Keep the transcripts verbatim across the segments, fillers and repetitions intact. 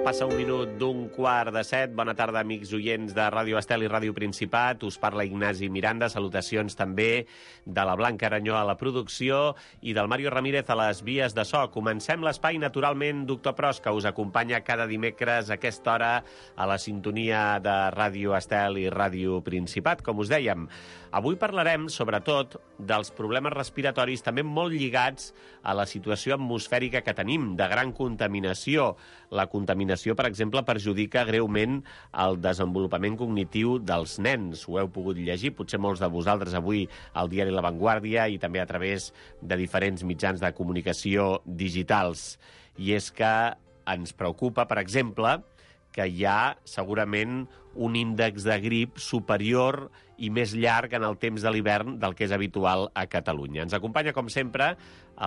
Passa un minut d'un quart de set. Bona tarda, amics oients de Ràdio Estel i Ràdio Principat. Us parla Ignasi Miranda. Salutacions també de la Blanca Aranyó a la producció i del Mario Ramírez a les vies de so. Comencem l'espai, naturalment, Doctor Pros, que us acompanya cada dimecres a aquesta hora a la sintonia de Ràdio Estel i Ràdio Principat. Com us dèiem, avui parlarem, sobretot, dels problemes respiratoris, també molt lligats a la situació atmosfèrica que tenim, de gran contaminació. La contaminació, per exemple, perjudica greument el desenvolupament cognitiu dels nens. Ho heu pogut llegir, potser molts de vosaltres avui al diari La Vanguardia i també a través de diferents mitjans de comunicació digitals. I és que ens preocupa, per exemple, que hi ha segurament un índex de grip superior i més llarg en el temps de l'hivern del que és habitual a Catalunya. Ens acompanya, com sempre,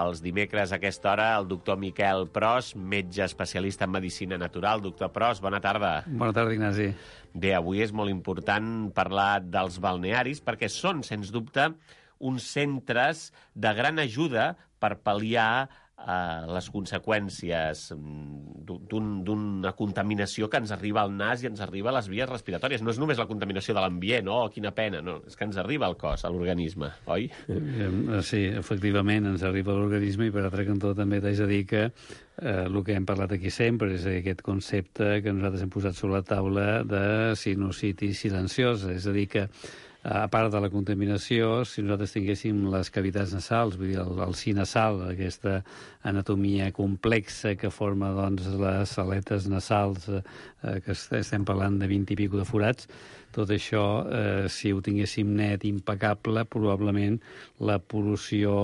els dimecres a aquesta hora, el doctor Miquel Pros, metge especialista en medicina natural. Doctor Pros, bona tarda. Bona tarda, Ignasi. Bé, avui és molt important parlar dels balnearis perquè són, sens dubte, uns centres de gran ajuda per pal·liar Uh, les conseqüències d'una contaminació que ens arriba al nas i ens arriba a les vies respiratòries. No és només la contaminació de l'ambient, oh, quina pena, no, és que ens arriba al cos, a l'organisme, oi? Sí, efectivament, ens arriba a l'organisme i per altre cantó també t'haig de dir que eh, el que hem parlat aquí sempre és aquest concepte que nosaltres hem posat sobre la taula de sinusitis silenciosa, és a dir que a part de la contaminació, si nosaltres tinguéssim les cavitats nasals, vull dir, el, el si nasal, aquesta anatomia complexa que forma doncs, les aletes nasals, eh, que estem parlant de vint i pico de forats, tot això, eh, si ho tinguéssim net, impecable, probablement la pol·lució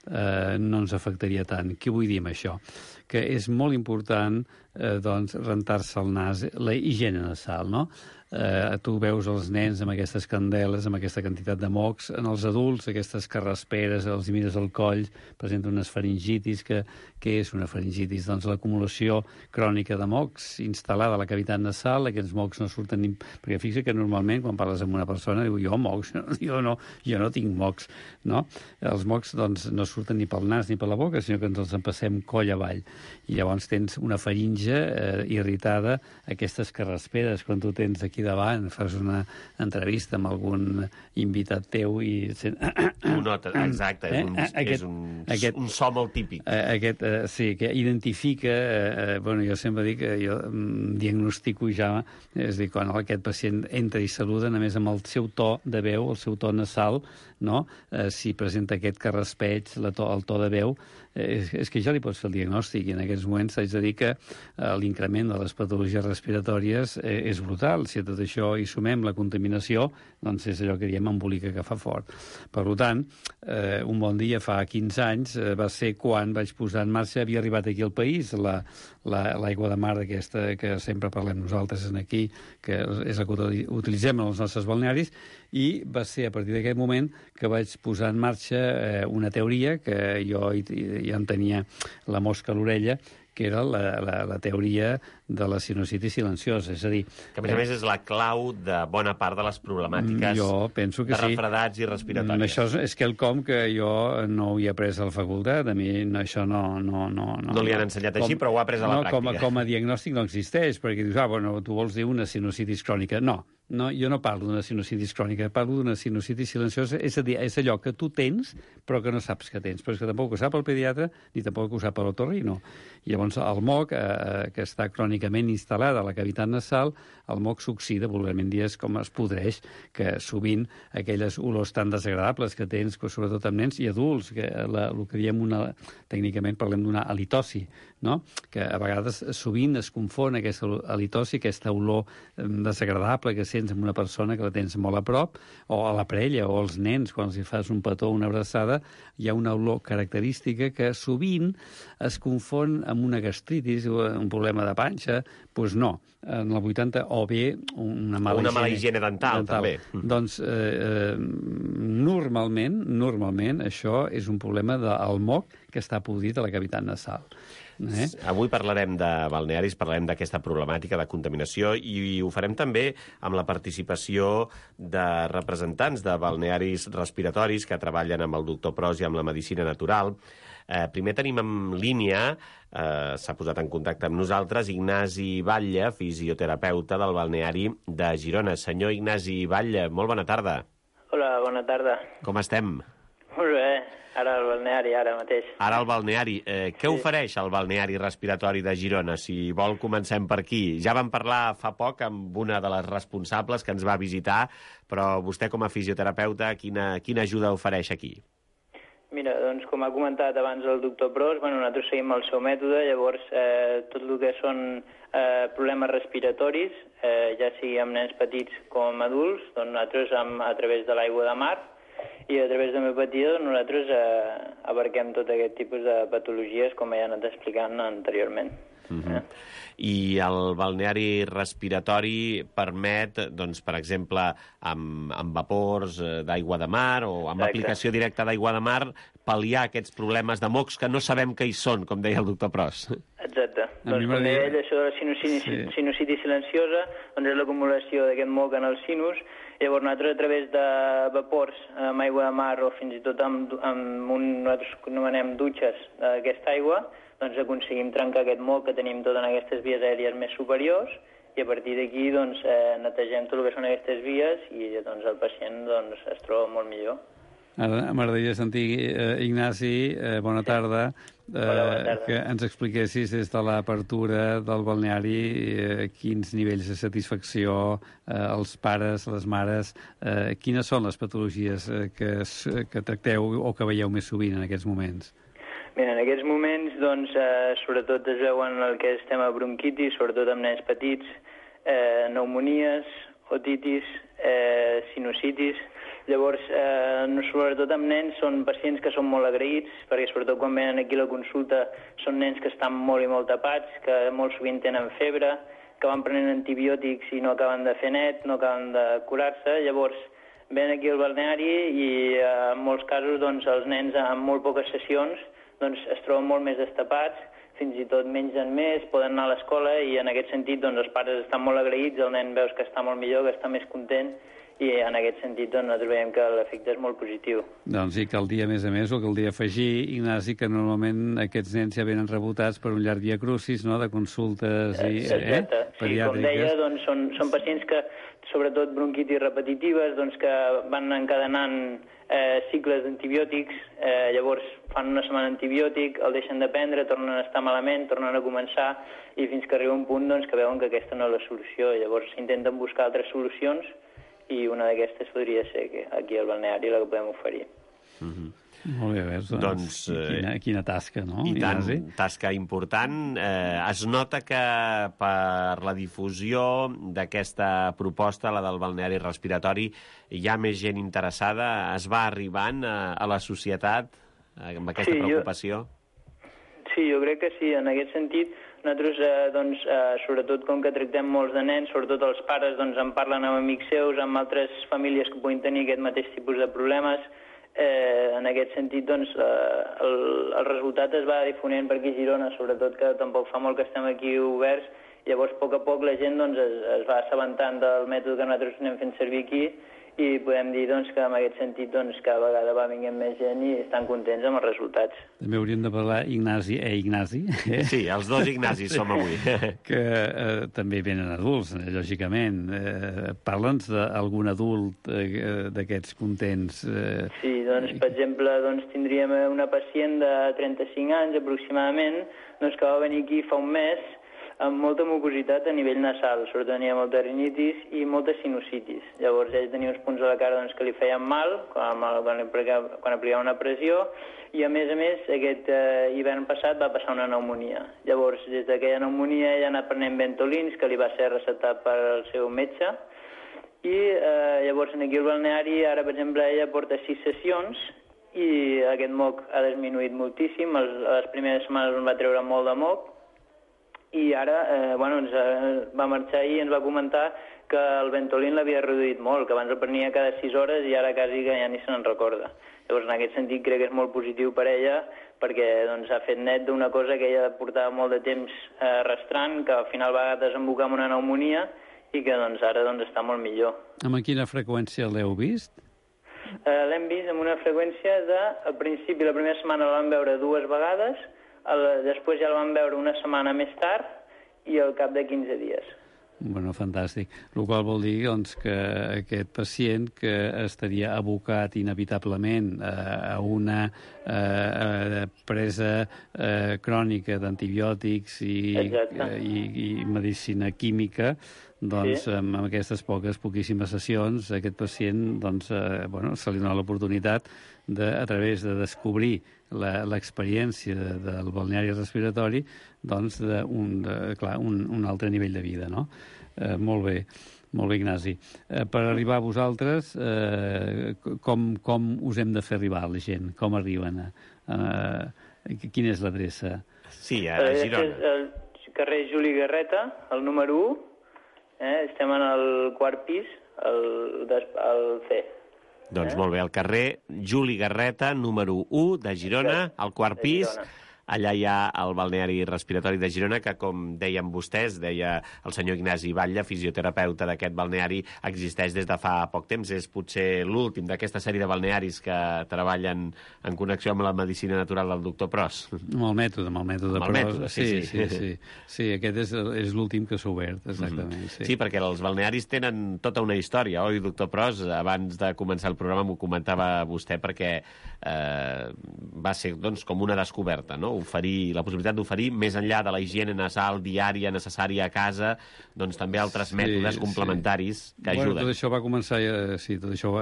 eh, no ens afectaria tant. Què vull dir amb això? Que és molt important eh, doncs, rentar-se el nas, la higiene nasal, no? Eh, tu veus els nens amb aquestes candeles, amb aquesta quantitat de mocs, en els adults aquestes carrasperes, els mires al coll, presenten unes faringitis. Que, què és una faringitis? Doncs l'acumulació crònica de mocs instal·lada a la cavitat nasal. Aquests mocs no surten ni... Perquè fixa que normalment quan parles amb una persona diu jo mocs, jo no, jo no tinc mocs, no? Els mocs doncs, no surten ni pel nas ni per la boca, sinó que ens els empassem coll avall. I llavors tens una faringe eh, irritada, aquestes carrasperes, quan tu tens aquí davant, fas una entrevista amb algun invitat teu i... Ho nota, exacte, és, un, aquest, és un, aquest, un so molt típic. Aquest, eh, sí, que identifica... Eh, bueno, jo sempre dic que jo mm, diagnostico ja, és a dir, quan aquest pacient entra i saluda, a més amb el seu to de veu, el seu to nasal, no? Eh, si presenta aquest carraspeig, la to, el to de veu, eh, és, és que ja li pots fer el diagnòstic, i en aquests moments haig de dir que eh, l'increment de les patologies respiratòries eh, és brutal. Si a tot això hi sumem la contaminació, doncs és allò que diem embolica que fa fort. Per tant, eh, un bon dia fa quinze anys eh, va ser quan vaig posar en marxa, havia arribat aquí al país, la, la, l'aigua de mar aquesta que sempre parlem nosaltres aquí, que és la que utilitzem en els nostres balnearis, i va ser a partir d'aquest moment que vaig posar en marxa eh, una teoria que jo ja en tenia la mosca a l'orella, que era la, la, la teoria de la sinusitis silenciosa, és a dir... Que a més a més és la clau de bona part de les problemàtiques jo penso que de refredats sí. i respiratòries. Això és, és quelcom que jo no ho he après a la facultat, a mi no, això no... No, no, no, no li han ensenyat així, com, però ho ha après a la no, pràctica. Com a, com a diagnòstic no existeix, perquè dius, ah, bueno, tu vols dir una sinusitis crònica. No, no, jo no parlo d'una sinusitis crònica, parlo d'una sinusitis silenciosa, és a dir, és allò que tu tens però que no saps que tens, però és que tampoc ho sap el pediatre ni tampoc ho sap l'otorrino. I llavors el moc, eh, que està crònicament instal·lat a la cavitat nasal, el moc s'oxida, vulgarment dir, com es podreix, que sovint aquelles olors tan desagradables que tens, sobretot amb nens i adults, que la, el que diem una, tècnicament parlem d'una halitosi, no? Que a vegades sovint es confon aquesta halitosi, aquesta olor desagradable que sents amb una persona que la tens molt a prop, o a la parella, o als nens, quan els fas un petó o una abraçada, hi ha una olor característica que sovint es confon amb una gastritis o un problema de panxa. Doncs no, en el vuitanta, o bé una mala, una mala higiene, higiene dental, dental. també. Doncs eh, eh, normalment, normalment això és un problema del moc que està podrit a la cavitat nasal. Eh? Avui parlarem de balnearis, parlarem d'aquesta problemàtica de contaminació i ho farem també amb la participació de representants de balnearis respiratoris que treballen amb el doctor Pros i amb la medicina natural. Eh, primer tenim en línia, eh, s'ha posat en contacte amb nosaltres, Ignasi Batlle, fisioterapeuta del balneari de Girona. Senyor Ignasi Batlle, molt bona tarda. Hola, bona tarda. Com estem? Molt bé, ara al balneari, ara mateix. Ara al balneari. Eh, què Sí. ofereix el balneari respiratori de Girona? Si vol, comencem per aquí. Ja vam parlar fa poc amb una de les responsables que ens va visitar, però vostè com a fisioterapeuta, quina, quina ajuda ofereix aquí? Mira, doncs com ha comentat abans el doctor Pros, bueno, nosaltres seguim el seu mètode, llavors eh, tot el que són eh, problemes respiratoris, eh, ja sigui amb nens petits com adults, doncs nosaltres amb, a través de l'aigua de mar, i a través de l'homeopatia nosaltres eh, abarquem tot aquest tipus de patologies, com ja he anat explicant anteriorment. Uh-huh. eh? I el balneari respiratori permet, doncs, per exemple, amb, amb vapors d'aigua de mar o amb Exacte. aplicació directa d'aigua de mar, pal·liar aquests problemes de mocs que no sabem què hi són, com deia el doctor Pros. Exacte. A Doncs mi com m'agradaria- deia ell, això de la sinusitis, Sí. sinusitis silenciosa, doncs és l'acumulació d'aquest moc en el sinus. Llavors nosaltres a través de vapors amb aigua de mar o fins i tot amb, amb un, nosaltres anomenem dutxes d'aquesta aigua, doncs aconseguim trencar aquest moc que tenim tot en aquestes vies aèries més superiors i a partir d'aquí doncs, eh, netegem tot el que són aquestes vies i doncs, el pacient doncs, es troba molt millor. Ara m'agradaria sentir, eh, Ignasi, eh, bona tarda, eh, Hola, bona tarda. que ens expliquessis des de l'apertura del balneari eh, quins nivells de satisfacció eh, els pares, les mares, eh, quines són les patologies eh, que, es, que tracteu o que veieu més sovint en aquests moments? Mira, en aquests moments, doncs, eh, sobretot es veuen el que és tema bronquitis, sobretot amb nens petits, eh, pneumonies, otitis, eh, sinusitis. Llavors, eh, no, sobretot amb nens, són pacients que són molt agraïts, perquè sobretot quan venen aquí a la consulta són nens que estan molt i molt tapats, que molt sovint tenen febre, que van prenent antibiòtics i no acaben de fer net, no acaben de curar-se. Llavors, venen aquí al balneari i eh, en molts casos doncs, els nens amb molt poques sessions doncs, es troben molt més destapats, fins i tot mengen més, poden anar a l'escola i en aquest sentit doncs, els pares estan molt agraïts, el nen veus que està molt millor, que està més content i en aquest sentit doncs, nosaltres veiem que l'efecte és molt positiu. Doncs i caldria, a més a més, o caldria afegir, Ignasi, que normalment aquests nens ja venen rebotats per un llarg via crucis, no?, de consultes i, Exacte. eh, Sí, com deia, doncs, són, són pacients que, sobretot bronquitis repetitives, doncs, que van encadenant eh, cicles d'antibiòtics, eh, llavors fan una setmana antibiòtic, el deixen de prendre, tornen a estar malament, tornen a començar, i fins que arriba un punt doncs, que veuen que aquesta no és la solució. Llavors intenten buscar altres solucions, i una d'aquestes podria ser que aquí al balneari la que podem oferir. Mm-hmm. Molt bé, veus, doncs, Doncs, eh, quina, quina tasca, no? I tant, Ignasi? tasca important. Eh, es nota que per la difusió d'aquesta proposta, la del balneari respiratori, hi ha més gent interessada, es va arribant a, a la societat eh, amb aquesta Sí, jo- preocupació? Sí, jo crec que sí, en aquest sentit, nosaltres, eh, doncs, eh, sobretot com que tractem molts de nens, sobretot els pares doncs, en parlen amb amics seus, amb altres famílies que puguin tenir aquest mateix tipus de problemes. Eh, en aquest sentit, doncs, eh, el, el resultat es va difonent per aquí a Girona, sobretot que tampoc fa molt que estem aquí oberts, llavors a poc a poc la gent doncs, es, es va assabentant del mètode que nosaltres anem fent servir aquí i podem dir doncs, que en aquest sentit doncs, cada vegada va vinguent més gent i estan contents amb els resultats. També hauríem de parlar Ignasi, eh, Ignasi, eh? Sí, els dos Ignasis som avui. que eh, també venen adults, eh, lògicament. Eh, Parla'ns d'algun adult eh, d'aquests contents. Eh, Sí, doncs, per exemple, doncs, tindríem una pacient de trenta-cinc anys aproximadament doncs, que va venir aquí fa un mes amb molta mucositat a nivell nasal, sobretot tenia molta rinitis i molta sinusitis. Llavors ell tenia uns punts a la cara doncs, que li feien mal quan, quan, aplicava, quan aplicava una pressió i a més a més aquest eh, hivern passat va passar una pneumonia. Llavors des d'aquella pneumonia ell ha anat prenent Ventolins que li va ser receptat pel seu metge i eh, llavors aquí al balneari ara per exemple ella porta sis sessions i aquest moc ha disminuït moltíssim, les, les primeres setmanes on va treure molt de moc i ara eh, bueno, ens eh, va marxar i ens va comentar que el Ventolin l'havia reduït molt, que abans el prenia cada sis hores i ara quasi que ja ni se n'en recorda. Llavors, en aquest sentit, crec que és molt positiu per ella perquè doncs, ha fet net d'una cosa que ella portava molt de temps eh, arrastrant, que al final va desembocar en una pneumonia i que doncs, ara doncs, està molt millor. amb quina freqüència l'heu vist? eh, l'hem vist amb una freqüència de, al principi, la primera setmana la vam veure dues vegades, el, després ja la vam veure una setmana més tard i al cap de quinze dies. Bueno, fantàstic. El qual vol dir doncs, que aquest pacient que estaria abocat inevitablement eh, a una eh, presa eh, crònica d'antibiòtics i, eh, i, i medicina química, doncs, sí. amb aquestes poques, poquíssimes sessions, aquest pacient doncs, eh, bueno, se li dona l'oportunitat de, a través de descobrir l'experiència de, del balneari respiratori, doncs, d'un un, un altre nivell de vida, no? Eh, molt bé, molt bé, Ignasi. Eh, per arribar a vosaltres, eh, com, com us hem de fer arribar a la gent? Com arriben? Eh, quina és l'adreça? Sí, a Girona. És el carrer Juli Garreta, el número u. Eh? Estem en el quart pis, el, el C. Doncs eh? molt bé, al carrer Juli Garreta, número u de Girona, al quart pis. Allà hi ha el balneari respiratori de Girona, que, com deien vostès, deia el senyor Ignasi Batlle, fisioterapeuta d'aquest balneari, existeix des de fa poc temps. És potser l'últim d'aquesta sèrie de balnearis que treballen en connexió amb la medicina natural del doctor Pros. Amb el mètode, amb el mètode amb el Pros. Mètode, sí, sí. Sí, sí, sí. sí aquest és, és l'últim que s'ha obert, exactament. Mm-hmm. sí. sí, perquè els balnearis tenen tota una història, oi, doctor Pros? Abans de començar el programa m'ho comentava vostè, perquè eh, va ser doncs, com una descoberta, no? Oferir, la possibilitat d'oferir, més enllà de la higiene nasal diària necessària a casa, doncs també altres sí, mètodes complementaris sí. que bueno, ajuden. Tot això va començar, ja, sí, tot això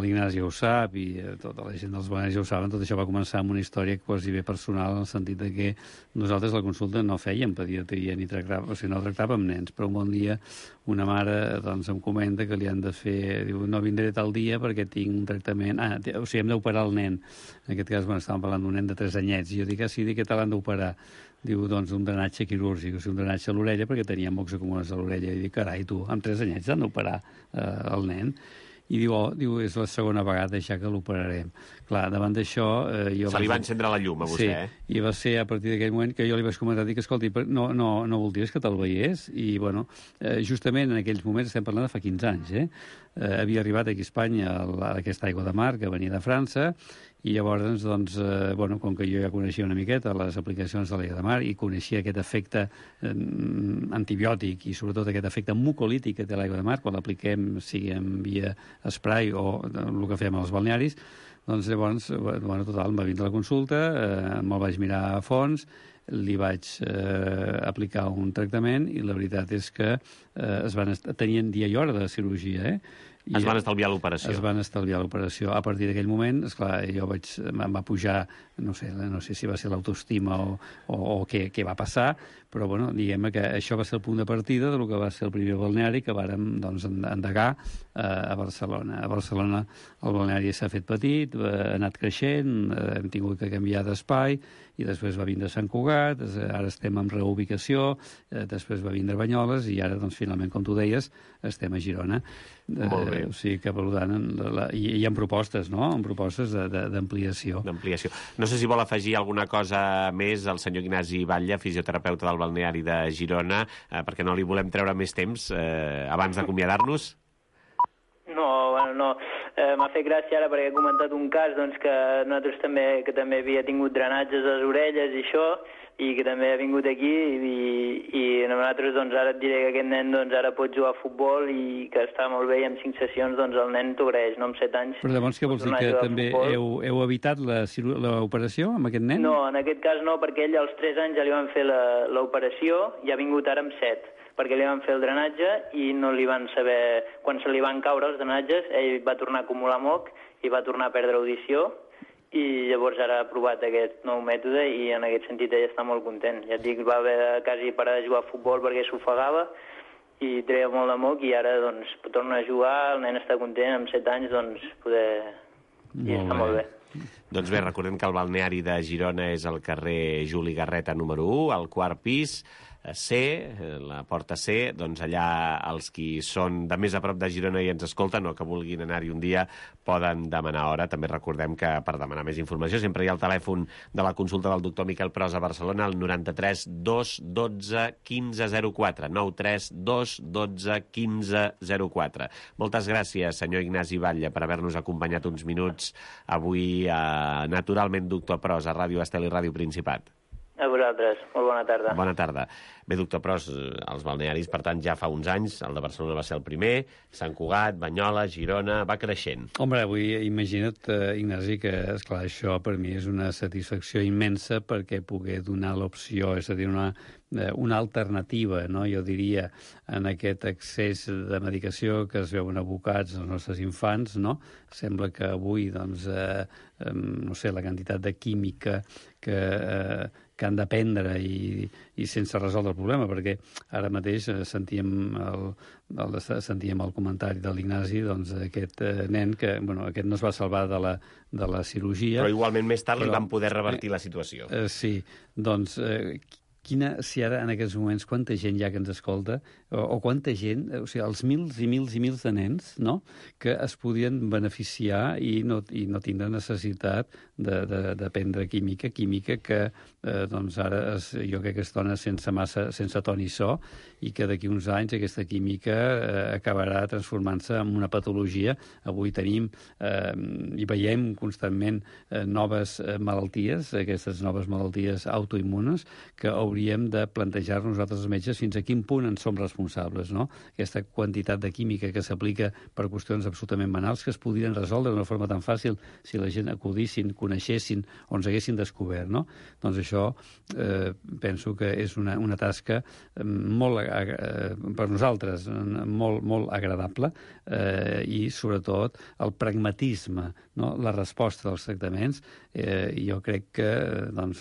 l'Ignasi ho sap i tota la gent dels balnearis ja ho saben, tot això va començar amb una història quasi bé personal, en el sentit de que nosaltres la consulta no fèiem pediatria ni tractàvem, o sigui, no tractàvem nens, però un bon dia una mare doncs, em comenta que li han de fer, diu, no vindré tal dia perquè tinc un tractament, ah, o sigui, hem d'operar el nen. En aquest cas, bueno, estàvem parlant d'un nen de tres anyets, i jo dic, ah, sí, dic que te l'han d'operar. Diu, doncs, un drenatge quirúrgic, o sigui, un drenatge a l'orella, perquè tenia mocs acumulats a l'orella. I dic, carai, tu, amb tres anyets han d'operar eh, el nen. I diu, oh, diu, és la segona vegada ja que l'operarem. Clar, davant d'això... Eh, jo Se li va encendre la llum a vostè, sí, eh? I va ser a partir d'aquell moment que jo li vaig comentar, dic, escolti, no, no, no voldries que te'l veiés? I, bueno, eh, justament en aquells moments, estem parlant de fa quinze anys, eh? eh havia arribat aquí a Espanya aquesta aigua de mar que venia de França, i llavors, doncs, eh, bueno, com que jo ja coneixia una miqueta les aplicacions de l'aigua de mar i coneixia aquest efecte eh, antibiòtic i sobretot aquest efecte mucolític que té l'aigua de mar, quan l'apliquem, sigui en via spray o el que fem als balnearis, doncs llavors, bueno, total, em va vindre la consulta, eh, me'l vaig mirar a fons, li vaig eh, aplicar un tractament i la veritat és que eh, es van tenien dia i hora de cirurgia, eh? I es van estalviar l'operació. Es van estalviar l'operació. A partir d'aquell moment, esclar, jo vaig, em va pujar, no sé, no sé si va ser l'autoestima o, o, o què, què va passar, però, bueno, diguem que això va ser el punt de partida del que va ser el primer balneari que vàrem, doncs, endegar eh, a Barcelona. A Barcelona el balneari s'ha fet petit, ha anat creixent, eh, hem tingut que canviar d'espai, i després va vindre Sant Cugat, ara estem en reubicació, eh, després va vindre Banyoles, i ara, doncs, finalment, com tu deies, estem a Girona. Molt bé. Eh, o sigui que, per tant, la, la, hi, hi ha propostes, no?, en propostes d'ampliació. D'ampliació. No sé si vol afegir alguna cosa més al senyor Ignasi Batlle, fisioterapeuta del balneari de Girona, eh, perquè no li volem treure més temps eh, abans d'acomiadar-nos. No, bueno, no. Eh, M'ha fet gràcia ara perquè he comentat un cas doncs, que nosaltres també, que també havia tingut drenatges a les orelles i això, i que també ha vingut aquí i, i nosaltres doncs, ara et diré que aquest nen doncs, ara pot jugar a futbol i que està molt bé i amb cinc sessions doncs, el nen t'ho agraeix, no? Amb set anys. Però llavors què vols dir, que també heu, heu evitat l'operació amb aquest nen? No, en aquest cas no, perquè ell als tres anys ja li van fer l'operació i ha vingut ara amb set, perquè li van fer el drenatge i no li van saber... Quan se li van caure els drenatges, ell va tornar a acumular moc i va tornar a perdre audició, i llavors ara ha provat aquest nou mètode i en aquest sentit ell està molt content. Ja et dic, va haver de quasi parar de jugar a futbol perquè s'ofegava i treia molt de moc i ara doncs torna a jugar, el nen està content, amb set anys doncs poder... i està molt bé. Doncs bé, recordem que el balneari de Girona és al carrer Juli Garreta número u, al quart pis, C, la porta C, doncs allà els qui són de més a prop de Girona i ens escolten o que vulguin anar-hi un dia poden demanar hora. També recordem que per demanar més informació sempre hi ha el telèfon de la consulta del doctor Miquel Pros a Barcelona, el noranta-tres dos dotze quinze zero quatre, nou tres dos dotze quinze zero quatre. Moltes gràcies, senyor Ignasi Batlle, per haver-nos acompanyat uns minuts avui a Naturalment Doctor Pros a Ràdio Estel i Ràdio Principat. A vosaltres. Molt bona tarda. Bona tarda. Bé, doctor Pros, els balnearis, per tant, ja fa uns anys, el de Barcelona va ser el primer, Sant Cugat, Banyoles, Girona, va creixent. Home, avui imagina't, eh, Ignasi, que, esclar, això per mi és una satisfacció immensa perquè poder donar l'opció, és a dir, una, una alternativa, no? Jo diria, en aquest accés de medicació que es veuen abocats els nostres infants, no? Sembla que avui, doncs, eh, eh, no sé, la quantitat de química que, eh, que han d'aprendre i, i sense resoldre el problema, perquè ara mateix sentíem el, el, sentíem el comentari de l'Ignasi, doncs, aquest eh, nen que, bueno, aquest no es va salvar de la, de la cirurgia. Però igualment més tard però, li van poder revertir eh, la situació. Eh, sí, doncs... Eh, Quina, si ara, en aquests moments, quanta gent hi ha que ens escolta, o, o quanta gent, o sigui, els mils i mils i mils de nens, no?, que es podien beneficiar i no, i no tindre necessitat d'aprendre química, química que, eh, doncs, ara es, jo crec que es dona sense massa, sense ton i so, i que d'aquí uns anys aquesta química eh, acabarà transformant-se en una patologia. Avui tenim eh, i veiem constantment eh, noves eh, malalties, aquestes noves malalties autoimmunes, que hauríem de plantejar-nos nosaltres els metges fins a quin punt en som responsables, no? Aquesta quantitat de química que s'aplica per qüestions absolutament banals que es podrien resoldre d'una forma tan fàcil si la gent acudissin, coneixessin o ens haguessin descobert, no? Doncs això eh, penso que és una, una tasca molt, eh, per nosaltres, molt, molt agradable eh, i, sobretot, el pragmatisme, no? La resposta dels tractaments. Eh, jo crec que doncs,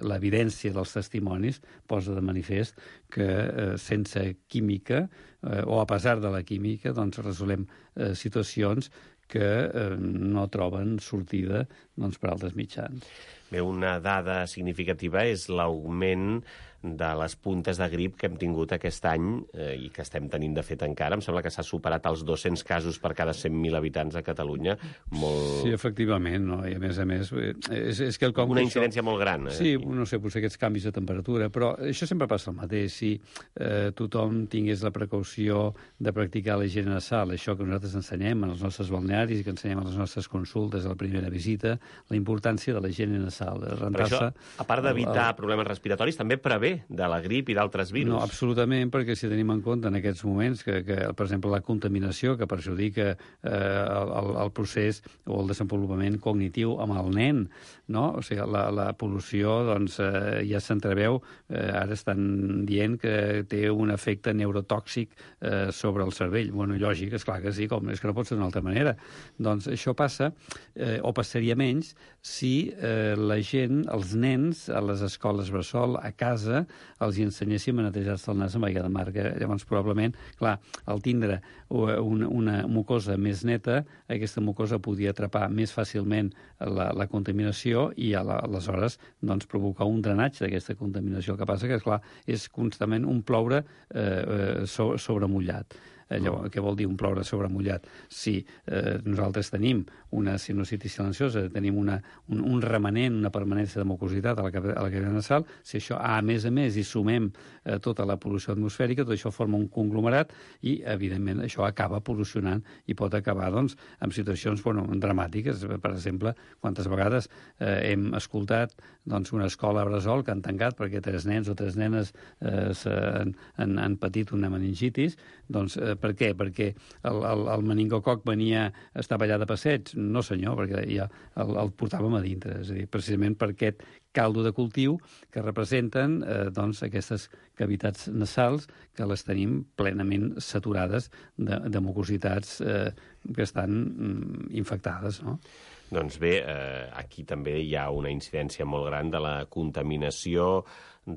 l'evidència dels testimonis posa de manifest que eh, sense química eh, o a pesar de la química doncs resolem eh, situacions que eh, no troben sortida doncs, per altres mitjans. Bé, una dada significativa és l'augment de les puntes de grip que hem tingut aquest any eh, i que estem tenint de fet encara. Em sembla que s'ha superat els dos-cents casos per cada cent mil habitants a Catalunya. Molt... Sí, efectivament, no? I a més a més... És, és que el com una que incidència això... molt gran. Eh? Sí, no sé, potser aquests canvis de temperatura, però això sempre passa el mateix. Si eh, tothom tingués la precaució de practicar la higiene nasal, això que nosaltres ensenyem en els nostres balnearis, que ensenyem a les nostres consultes a la primera visita, la importància de la higiene nasal. Però això, a part d'evitar el... problemes respiratoris, també prevé de la grip i d'altres virus. No, absolutament, perquè si tenim en compte en aquests moments que, que per exemple, la contaminació que perjudica eh, el, el procés o el desenvolupament cognitiu amb el nen, no? O sigui, la, la pol·lució, doncs, eh, ja s'entreveu, eh, ara estan dient que té un efecte neurotòxic eh, sobre el cervell. Bueno, lògic, esclar que sí, com és que no pot ser d'una altra manera. Doncs això passa, eh, o passaria menys, si eh, la gent, els nens, a les escoles bressol, a casa, els hi ensenyéssim a netejar-se el nas amb aigua de mar. Llavors, probablement, clar, al tindre una, una mucosa més neta, aquesta mucosa podia atrapar més fàcilment la, la contaminació i a la, aleshores doncs, provocar un drenatge d'aquesta contaminació. El que passa que, clar, és constantment un ploure eh, so, sobre mullat. Allò, què vol dir un ploure sobre mullat? Si eh, nosaltres tenim una sinusitis silenciosa, tenim una, un, un remanent, una permanència de mucositat a la, a la cavidad nasal, si això, a més a més, hi sumem eh, tota la pol·lució atmosfèrica, tot això forma un conglomerat i, evidentment, això acaba pol·lucionant i pot acabar, doncs, amb situacions, bueno, dramàtiques. Per exemple, quantes vegades eh, hem escoltat doncs, una escola bressol que han tancat perquè tres nens o tres nenes eh, han, han, han patit una meningitis, doncs, eh, per què? Perquè el, el, el meningococ venia, estava allà de passeig? No, senyor, perquè ja el, el portàvem a dintre. És a dir, precisament per aquest caldo de cultiu que representen eh, doncs, aquestes cavitats nasals que les tenim plenament saturades de, de mucositats eh, que estan mm, infectades, no? Doncs bé, eh, aquí també hi ha una incidència molt gran de la contaminació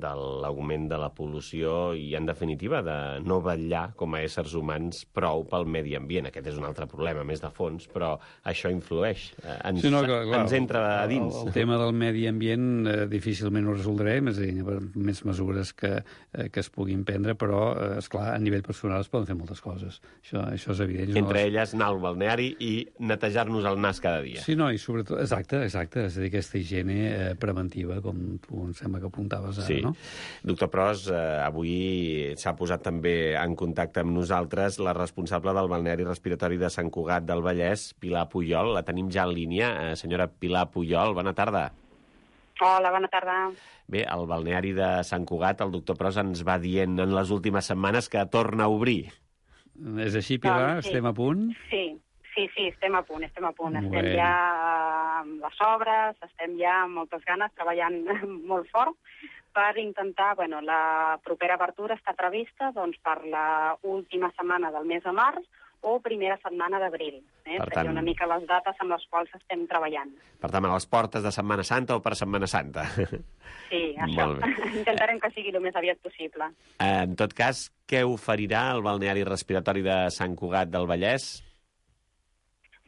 de l'augment de la pol·lució i, en definitiva, de no vetllar com a éssers humans prou pel medi ambient. Aquest és un altre problema, més de fons, però això influeix. Ens, sí, no, clar, clar, ens entra a dins. El, el tema del medi ambient eh, difícilment ho resoldrem, és a dir, més mesures que, eh, que es puguin prendre, però, eh, esclar, a nivell personal es poden fer moltes coses. Això, això és evident. Entre les... elles, anar al balneari i netejar-nos el nas cada dia. Sí, no, i sobretot... Exacte, exacte. És a dir, aquesta higiene eh, preventiva, com tu em sembla que apuntaves ara, sí. No? Doctor Pros, eh, avui s'ha posat també en contacte amb nosaltres la responsable del balneari respiratori de Sant Cugat del Vallès, Pilar Pujol. La tenim ja en línia. Eh, senyora Pilar Pujol, bona tarda. Hola, bona tarda. Bé, el balneari de Sant Cugat, el doctor Pros ens va dient en les últimes setmanes que torna a obrir. És així, Pilar? Doncs sí. Estem a punt? Sí, sí, sí, estem a punt, estem a punt. Bueno. Estem ja amb les obres, estem ja amb moltes ganes, treballant molt fort per intentar, bueno, la propera apertura està prevista doncs, per la última setmana del mes de març o primera setmana d'abril. Eh? Per Seria tant... una mica les dates amb les quals estem treballant. Per tant, a les portes de Setmana Santa o per Setmana Santa? Sí, això. Intentarem que sigui el més aviat possible. En tot cas, què oferirà el balneari respiratori de Sant Cugat del Vallès?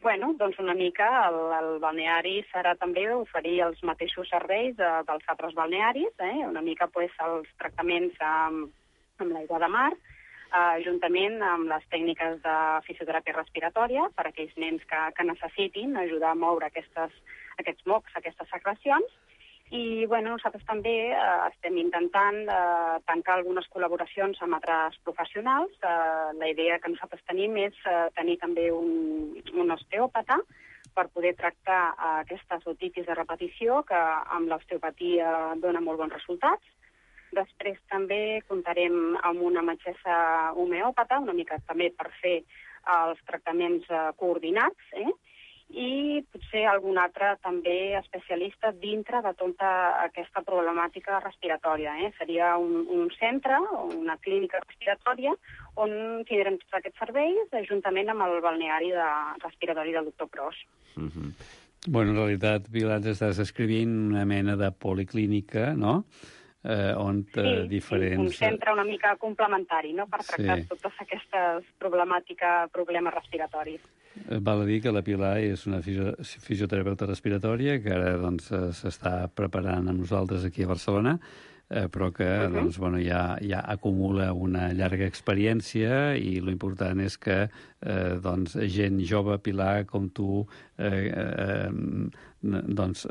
Bueno, doncs una mica el, el balneari serà també oferir els mateixos serveis de, dels altres balnearis, eh? Una mica pues, els tractaments amb, amb l'aigua de mar, eh, juntament amb les tècniques de fisioteràpia respiratòria per a aquells nens que, que necessitin ajudar a moure aquestes, aquests mocs, aquestes secrecions. I bueno, nosaltres també eh, estem intentant eh, tancar algunes col·laboracions amb altres professionals. Eh, la idea que nosaltres tenim és eh, tenir també un, un osteòpata per poder tractar eh, aquestes otitis de repetició que amb l'osteopatia dona molt bons resultats. Després també comptarem amb una metgessa homeòpata, una mica també per fer els tractaments eh, coordinats, eh? I potser algun altre també especialista dintre de tota aquesta problemàtica respiratòria. Eh? Seria un, un centre, una clínica respiratòria, on tindrem tots aquests serveis, juntament amb el balneari de respiratori del doctor Pros. Mm-hmm. Bueno, en realitat, Pilar, estàs escrivint una mena de policlínica, no?, eh, on sí, diferents... Sí, un centre una mica complementari, no?, per tractar sí. totes aquestes problemàtiques, problemes respiratoris. Val a dir que la Pilar és una fisio fisioterapeuta respiratòria que ara doncs, s'està preparant amb nosaltres aquí a Barcelona, eh, però que uh -huh. doncs, bueno, ja, ja acumula una llarga experiència i l'important és que eh, doncs, gent jove, Pilar, com tu, eh, eh, doncs,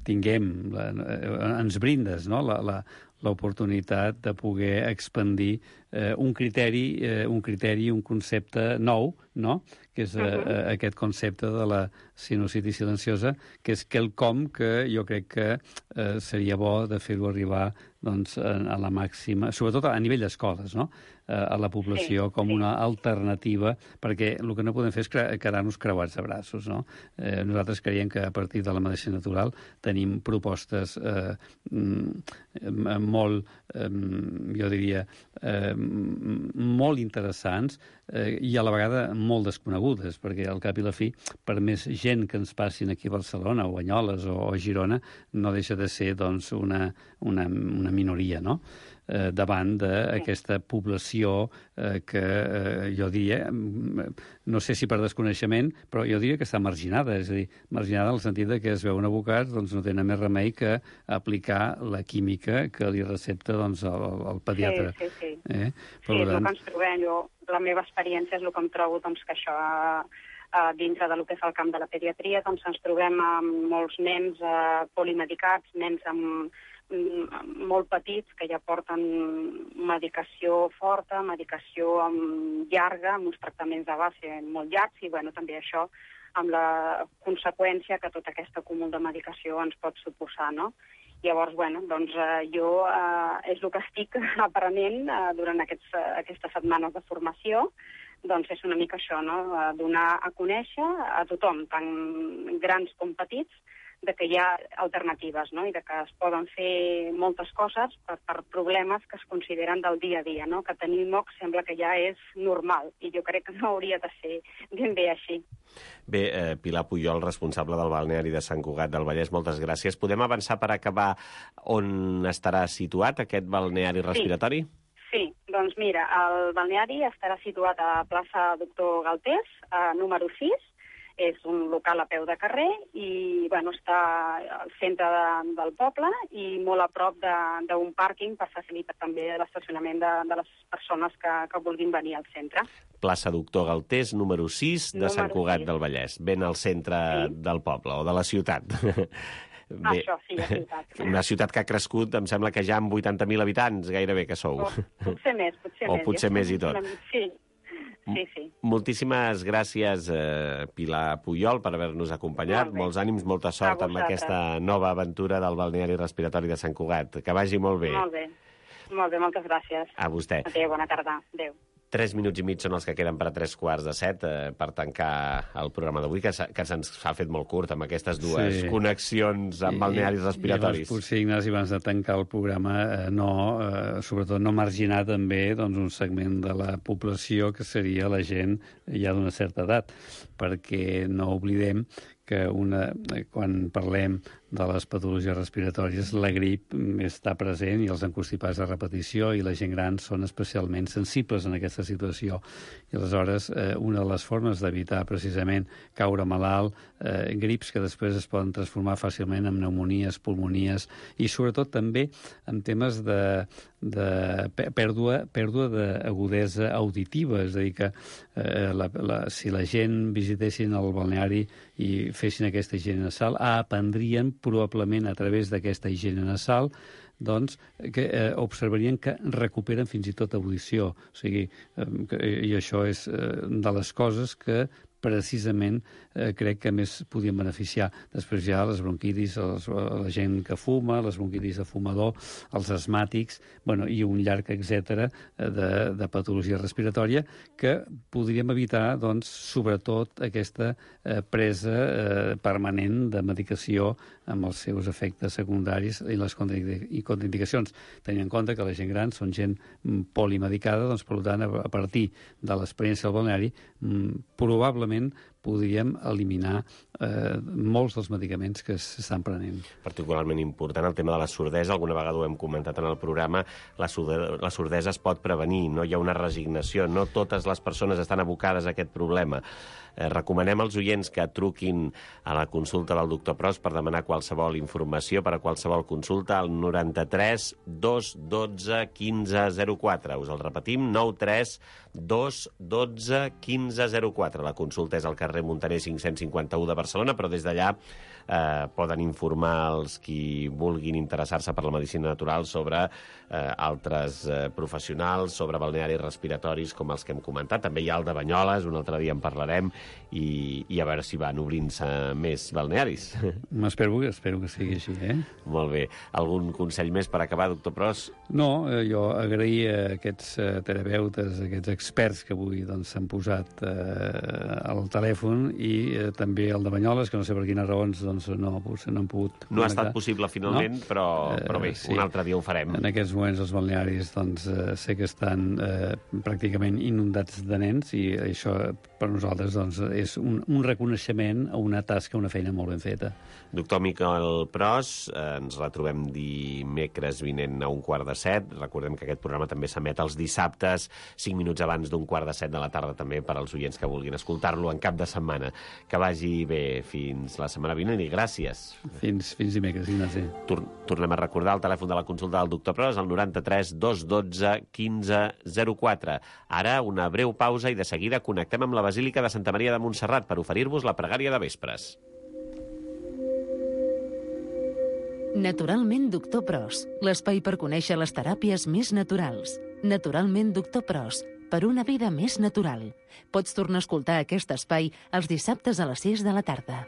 tinguem, la, ens brindes, no?, la, la, l'oportunitat de poder expandir eh, un criteri, eh, un criteri, un concepte nou, no?, que és eh, uh-huh. aquest concepte de la sinusitis silenciosa, que és quelcom que jo crec que eh, seria bo de fer-ho arribar doncs, a, a la màxima, sobretot a nivell d'escoles, no?, eh, a la població sí, com sí. una alternativa, perquè el que no podem fer és quedar-nos creuats de braços, no? Eh, nosaltres creiem que a partir de la medicina natural tenim propostes eh, molt, eh, jo diria, eh, molt interessants eh, i a la vegada molt desconegudes, perquè al cap i la fi, per més gent que ens passin aquí a Barcelona, o Banyoles, o, o Girona, no deixa de ser doncs, una, una, una minoria, no?, eh, davant d'aquesta població eh, que eh, jo diria, no sé si per desconeixement, però jo diria que està marginada, és a dir, marginada en el sentit de que es veuen abocats, doncs no tenen més remei que aplicar la química que li recepta doncs, el, el pediatre. Sí, sí, sí. Eh? Sí, és el que ens trobem. Jo, la meva experiència és el que em trobo doncs, que això... Uh, dintre del que és el camp de la pediatria, doncs ens trobem amb molts nens uh, polimedicats, nens amb, amb molt petits que ja porten medicació forta, medicació amb, llarga, amb uns tractaments de base molt llargs, i bueno, també això amb la conseqüència que tot aquest acúmul de medicació ens pot suposar, no? Llavors, bueno, doncs uh, jo uh, és el que estic aprenent uh, durant aquests, uh, aquestes setmanes de formació. Doncs és una mica això, no?, donar a conèixer a tothom, tant grans com petits, de que hi ha alternatives, no? I de que es poden fer moltes coses per, per problemes que es consideren del dia a dia, no? Que tenir mocs sembla que ja és normal, i jo crec que no hauria de ser ben bé així. Bé, eh, Pilar Pujol, responsable del balneari de Sant Cugat del Vallès, moltes gràcies. Podem avançar per acabar on estarà situat aquest balneari respiratori? Sí, sí. Doncs mira, el balneari estarà situat a plaça Doctor Galtés, a número sis, és un local a peu de carrer i bueno, està al centre de, del poble i molt a prop d'un pàrquing per facilitar també l'estacionament de, de les persones que, que vulguin venir al centre. Plaça Doctor Galtés, número sis, de número Sant Cugat sis. Del Vallès, ben al centre sí. del poble o de la ciutat. Bé, això, sí, la ciutat. Una ciutat que ha crescut, em sembla que ja amb vuitanta mil habitants, gairebé que sou. O, potser més, potser o més. O potser més i tot. Sí. Sí, sí. Moltíssimes gràcies, eh, Pilar Pujol, per haver-nos acompanyat. Molt Molts ànims, molta sort amb aquesta nova aventura del balneari respiratori de Sant Cugat. Que vagi molt bé. Molt bé. Molt bé, moltes gràcies. A vostè. Adéu, bona tarda. Adéu. Tres minuts i mig són els que queden per a tres quarts de set eh, per tancar el programa d'avui, que, que se'ns ha fet molt curt amb aquestes dues sí. connexions amb balnearis respiratoris. I, i potser, Ignasi, abans de tancar el programa, eh, no, eh, sobretot no marginar també doncs, un segment de la població que seria la gent ja d'una certa edat, perquè no oblidem que una, quan parlem de les patologies respiratòries, la grip està present i els encostipats de repetició i la gent gran són especialment sensibles en aquesta situació. I aleshores, eh, una de les formes d'evitar precisament caure malalt, eh, grips que després es poden transformar fàcilment en pneumonies, pulmonies i sobretot també en temes de, de pèrdua, pèrdua d'agudesa auditiva, és a dir, que eh, la, la, si la gent visitessin el balneari i fessin aquesta higiene nasal, aprendrien probablement a través d'aquesta higiene nasal doncs, que eh, observarien que recuperen fins i tot audició. O sigui, eh, que, i això és eh, de les coses que precisament eh, crec que més podien beneficiar. Després hi ha les bronquitis, els, la gent que fuma, les bronquitis de fumador, els asmàtics, bueno, i un llarg etcètera de, de patologia respiratòria que podríem evitar, doncs, sobretot aquesta eh, presa eh, permanent de medicació amb els seus efectes secundaris i les contraindicacions. Tenint en compte que la gent gran són gent polimedicada, doncs, per tant, a partir de l'experiència del balneari, probablement podríem eliminar eh, molts dels medicaments que s'estan prenent. Particularment important el tema de la sordesa, alguna vegada ho hem comentat en el programa, la sordesa, la sordesa es pot prevenir, no hi ha una resignació, no totes les persones estan abocades a aquest problema. Eh, recomanem als oients que truquin a la consulta del doctor Pros per demanar qualsevol informació, per a qualsevol consulta, al noranta-tres dos dotze quinze zero quatre. Us el repetim, nou tres dos dotze quinze zero quatre. La consulta és al carrer Muntaner cinc-cents cinquanta-u de Barcelona, però des d'allà eh, poden informar els qui vulguin interessar-se per la medicina natural sobre eh, altres eh, professionals, sobre balnearis respiratoris com els que hem comentat. També hi ha el de Banyoles, un altre dia en parlarem, i, i a veure si van obrint-se més balnearis. Espero, espero que sigui així, eh? Molt bé. Algun consell més per acabar, doctor Pros? No, eh, jo agrair a aquests eh, terapeutes, aquests experts que avui doncs, s'han posat eh, al telèfon i eh, també el de Banyoles, que no sé per quines raons doncs, no, no han pogut... No ha estat possible finalment, no? però, però bé, eh, sí. Un altre dia ho farem. En aquests moments els balnearis doncs, eh, sé que estan eh, pràcticament inundats de nens i això per nosaltres doncs, és un, un reconeixement a una tasca, una feina molt ben feta. Doctor Miquel Pros, eh, ens retrobem dimecres vinent a un quart de set. Recordem que aquest programa també s'emet els dissabtes, cinc minuts abans d'un quart de set de la tarda també per als oients que vulguin escoltar-lo en cap de setmana. Que vagi bé fins la setmana vinent i gràcies. Fins, fins dimecres, Ignasi. Tor tornem a recordar el telèfon de la consulta del doctor Pros, el noranta-tres dos dotze quinze zero quatre. Ara una breu pausa i de seguida connectem amb la Basílica de Santa Maria de Montserrat per oferir-vos la pregària de vespres. Naturalment Doctor Pros, l'espai per conèixer les teràpies més naturals. Naturalment Doctor Pros, per una vida més natural. Pots tornar a escoltar aquest espai els dissabtes a les sis de la tarda.